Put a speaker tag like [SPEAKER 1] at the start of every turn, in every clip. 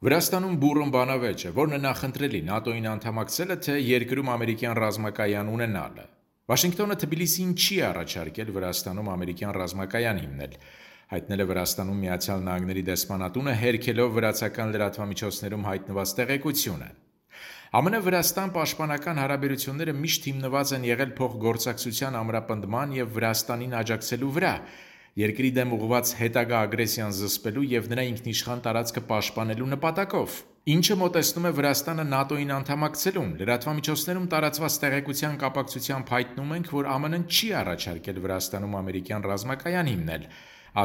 [SPEAKER 1] Վրաստանում բուռն բանավեճ է, որն է նախընտրելի ՆԱՏՕ-ին անդամակցելը, թե երկրում ամերիկյան ռազմակայան ունենալը։ Վաշինգտոնը Թբիլիսիին չի առաջարկել Վրաստանում ամերիկյան ռազմակայան հիմնել, հայտնել է Վրաստանում Միացյալ Նահանգների դեսպանատունը, հերքելով վրացական լրատվամիջոցներում հայտնված տեղեկությունը։ ԱՄՆ-Վրաստան պաշտպանական հարաբերությունները միշտ հիմնված են եղել փոխգործակցության ամրապնդման եւ Վրաստանին աջակցելու վրա, երկրի դեմ ուղղված հետագա ագրեսիան զսպելու եւ նրա ինքնիշխան տարածքը պաշտպանելու նպատակով, ինչը մոտեցնում է Վրաստանը ՆԱՏՕ-ին անդամակցելուն։ Լրատվամիջոցներում տարածված տեղեկության կապակցությամբ հայտնում ենք, որ ԱՄՆ-ն չի առաջարկել Վրաստանում ամերիկյան ռազմակայան հիմնել,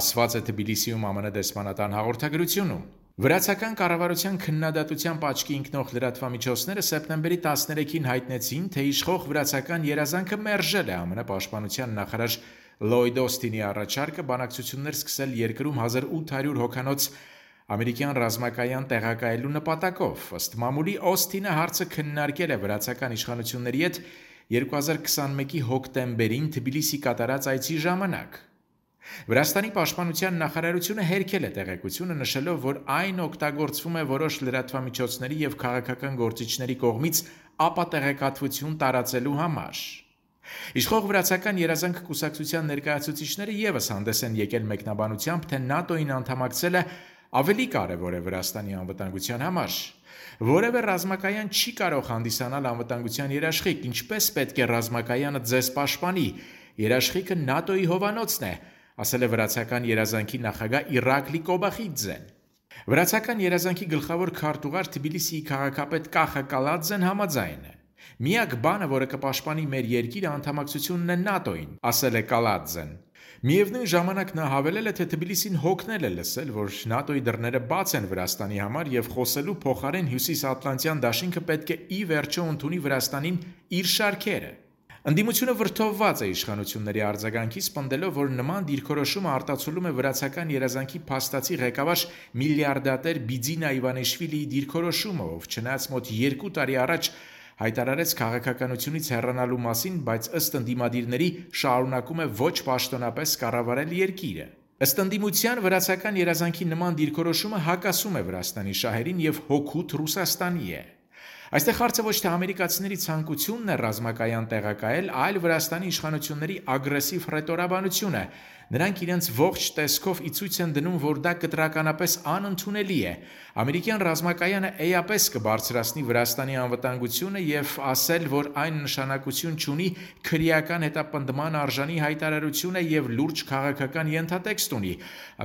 [SPEAKER 1] ասված է Թբիլիսիում ԱՄՆ դեսպանատան հաղորդագրությունում։ Վրացական կառավարության քննադատությամբ աչքի ընկնող լրատվամիջոցները սեպտեմբերի 13-ին հայտնեցին, թե իշխող վրացական երազանքը մերժել է ԱՄՆ պաշտպանության նախարար Լլոյդ Օսթինի առաջարկը բանակցություններ սկսել երկրում 1800 հոգանոց ամերիկյան ռազմակայան տեղակայելու նպատակով։ Ըստ մամուլի Օսթինը հարցը քննարկել է վրացական իշխանությունների հետ 2021-ի հոկտեմբերին Թբիլիսի կատարած այցի ժամանակ։ Վրաստանի պաշտպանության նախարարությունը հերքել է տեղեկությունը, նշելով, որ այն օգտագործվում է որոշ լրատվամիջոցների եւ քաղաքական գործիչների կողմից ապատեղեկատվություն տարածելու համար։ Իշխող վրացական երազանք կուսակցության ներկայացուցիչները եւս հանդես են եկել մեկնաբանությամբ, թե ՆԱՏՕ-ին անդամակցելը ավելի կարևոր է Վրաստանի անվտանգության համար։ Որևէ ռազմակայան չի կարող հանդիսանալ անվտանգության երաշխիք, ինչպես պետք է ռազմակայանը ձեզ պաշտպանի։ Երաշխիքը ՆԱՏՕ-ի հովանոցն է, ասել է վրացական երազանքի նախագահ Իրակլի Կոբախիձեն։ Վրացական երազանքի գլխավոր քարտուղար Թբիլիսիի քաղաքապետ Կախա Կալաձեն համաձայն է։ Միակ բանը, որը կպաշտպանի մեր երկիրը, անդամակցությունն է ՆԱՏՕ-ին, ասել է Կալաձեն։ Միևնույն ժամանակ նա հավելել է, թե Թբիլիսին հոգնել է լսել, որ ՆԱՏՕ-ի դռները բաց են Վրաստանի համար եւ խոսելու փոխարեն Հյուսիսատլանտյան դաշինքը պետք է ի վերջո ընդունի Վրաստանին իր շարքերը։ Ընդդիմությունը վրդովված է իշխանությունների արձագանքից, պնդելով, որ նման դիրքորոշումը արտացոլում է վրացական երազանքի փաստացի ղեկավար միլիարդատեր Բիձինա Իվանիշվիլիի դիրքորոշումը, ով չնայած մոտ 2 տարի առաջ հայտարարեց քաղաքականությունից հեռանալու մասին, բայց ըստ ընդդիմադիրների շարունակում է ոչ պաշտոնապես կառավարել երկիրը։ Ըստ ընդդիմության վրացական երազանքի նման դիրքորոշումը հակասում է Վրաստանի շահերին եւ հօգուտ Ռուսաստանի է։ Այստեղ հարցը ոչ թե ամերիկացիների ցանկությունն է ռազմակայան տեղակայել, այլ Վրաստանի իշխանությունների ագրեսիվ ռետորաբանությունը։ Նրանք իրենց ողջ տեսքով ի ցույց են դնում, որ դա կտրականապես անընդունելի է։ Ամերիկյան ռազմակայանը էապես կբարձրացնի Վրաստանի անվտանգությունը եւ ասել, որ այն նշանակություն չունի, քրեական հետապնդման արժանի հայտարարություն է եւ լուրջ քաղաքական ենթատեքստ ունի,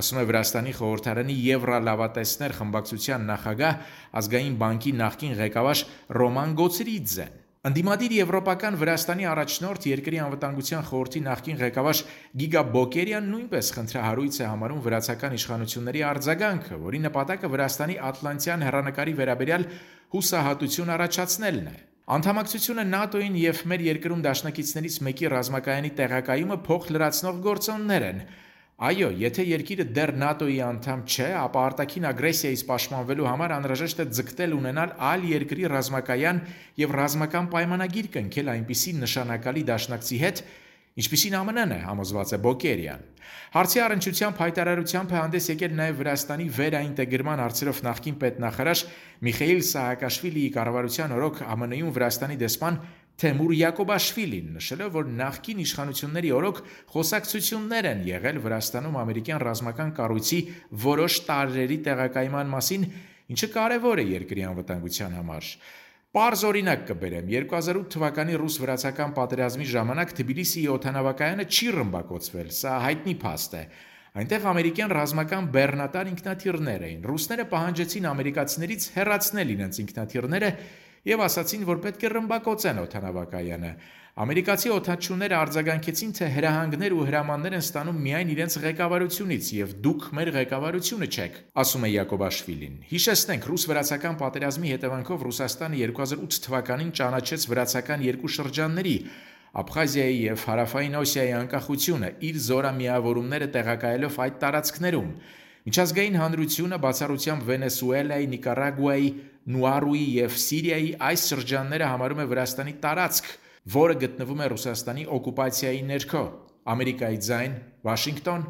[SPEAKER 1] ասում է Վրաստանի խորհրդարանի Եվրալավատեսներ խմբակցության նախագահ, ազգային բանկի նախկին ղեկավար Ռոման Գոցրիձեն։ Ընդդիմադիր եվրոպական Վրաստանի առաջնորդ երկրի անվտանգության խորհրդի նախկին ղեկավար Գիգա Բոկերյան նույնպես խնդրահարույց է համարում վրացական իշխանությունների արձագանքը, որի նպատակը Վրաստանի ատլանտյան հեռանկարի վերաբերյալ հուսահատություն առաջացնելն է։ Անդամակցությունը ՆԱՏՕ-ին եւ մեր երկրում դաշնակիցներից մեկի ռազմակայանի տեղակայումը փոխլրացնող գործոններ են։ Այո, եթե երկիրը դեռ ՆԱՏՕ-ի անդամ չէ, ապա արտաքին ագրեսիայից պաշտպանվելու համար անհրաժեշտ է ձգտել ունենալ այլ երկրի ռազմակայան եւ ռազմական պայմանագիր կնքել այնպիսի նշանակալի դաշնակցի հետ, ինչպիսին ԱՄՆ-ն է, համոզված է Բոկերյան։ Հարցի առնչությամբ հայտարարությամբ է հանդես եկել նաև Վրաստանի վերաինտեգրման հարցերով նախկին պետնախարար Միխեիլ Սահակաշվիլիի կառավարության օրոք ԱՄՆ-ում Վրաստանի դեսպան Թեմուր Յակոբաշվիլին, նշելով, որ նախկին իշխանությունների օրոք խոսակցություններ են եղել Վրաստանում ամերիկյան ռազմական կառույցի որոշ տարրերի տեղակայման մասին, ինչը կարևոր է երկրի անվտանգության համար։ Պարզ օրինակ կբերեմ. 2008 թվականի ռուս-վրացական պատերազմի ժամանակ Թբիլիսիի օդանավակայանը չի ռմբակոծվել, սա հայտնի փաստ է։ Այնտեղ ամերիկյան ռազմական բեռնատար ինքնաթիռներ էին։ Ռուսները պահանջեցին ամերիկացիներից հեռացնել իրենց ինքնաթիռները եւ ասացին, որ պետք է ռմբակոծեն օդանավակայանը։ Ամերիկացի օդաչուները արձագանքեցին, թե հրահանգներ ու հրամաններ են ստանում միայն իրենց ղեկավարությունից եւ դուք մեր ղեկավարությունը չեք, ասում է Յակոբաշվիլին։ Հիշեցնենք, ռուս-վրացական պատերազմի հետևանքով Ռուսաստանը 2008 թվականին ճանաչեց վրացական երկու շրջանների՝ Աբխազիայի եւ Հարավային Օսիայի անկախությունը, իր զորամիավորումները տեղակայելով այդ տարածքներում։ Միջազգային հանրությունը բացառությամբ Վենեսուելայի, Նիկարագուայի, Նուարուի եւ Սիրիայի այս շրջանները համարում է Վրաստանի տարածք, որը գտնվում է Ռուսաստանի օկուպացիայի ներքո։ Ամերիկայի ձայն, Վաշինգտոն։